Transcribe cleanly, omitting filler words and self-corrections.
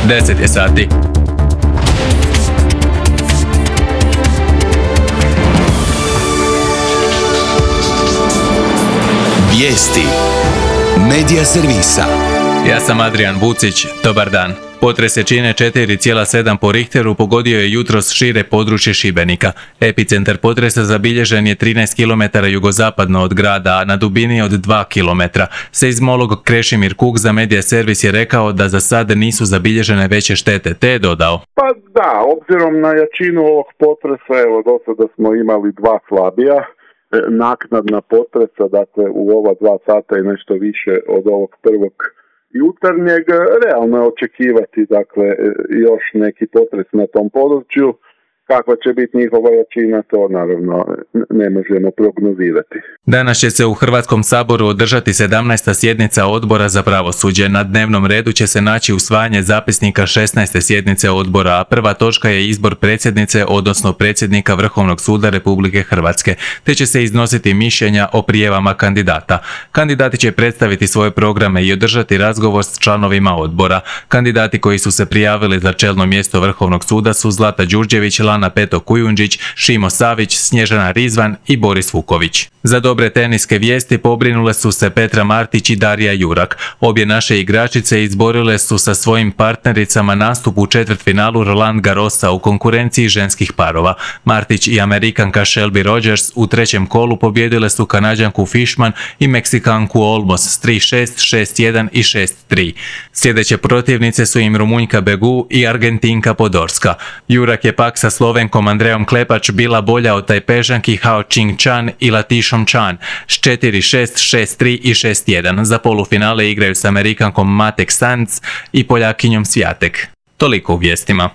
10 je sati. Vijesti Medija servisa. Ja sam Adrian Vucić, dobar dan. Potres jačine 4,7 po Richteru pogodio je jutros šire područje Šibenika. Epicentar potresa zabilježen je 13 km jugozapadno od grada, a na dubini od 2 km. Seizmolog Krešimir Kuk za Medija servis je rekao da za sad nisu zabilježene veće štete, te je dodao. Pa da, obzirom na jačinu ovog potresa, evo do sada smo imali 2 slabija. Naknadna potresa, dakle u ova 2 sata i nešto više od ovog prvog jutarnjeg, realno je očekivati dakle još neki potres na tom području. Kakva će biti njihova jačina, to naravno ne možemo prognozirati. Danas će se u Hrvatskom saboru održati 17. sjednica Odbora za pravosuđe. Na dnevnom redu će se naći usvajanje zapisnika 16. sjednice odbora, a prva točka je izbor predsjednice, odnosno predsjednika Vrhovnog suda Republike Hrvatske, te će se iznositi mišljenja o prijavama kandidata. Kandidati će predstaviti svoje programe i održati razgovor s članovima odbora. Kandidati koji su se prijavili za čelno mjesto Vrhovnog suda su Zlata Đurđević, Lana Peto Kujundžić, Šimo Savić, Snježana Rizvan i Boris Vuković. Za dobre teniske vijesti pobrinule su se Petra Martić i Darija Jurak. Obje naše igračice izborile su sa svojim partnericama nastup u četvrtfinalu Roland Garrosa u konkurenciji ženskih parova. Martić i Amerikanka Shelby Rogers u trećem kolu pobijedile su Kanađanku Fishman i Meksikanku Olmos s 3-6, 6-1 i 6-3. Sljedeće protivnice su im Rumunjka Begu i Argentinka Podorska. Jurak je pak sa Slovenkom Andrejom Klepač bila bolja od Tajpežanki Hao Ching Chan i Latišom Chan s 4-6, 6-3 i 6-1. Za polufinale igraju s Amerikankom Matek Sanz i Poljakinjom Sviatek. Toliko u vijestima.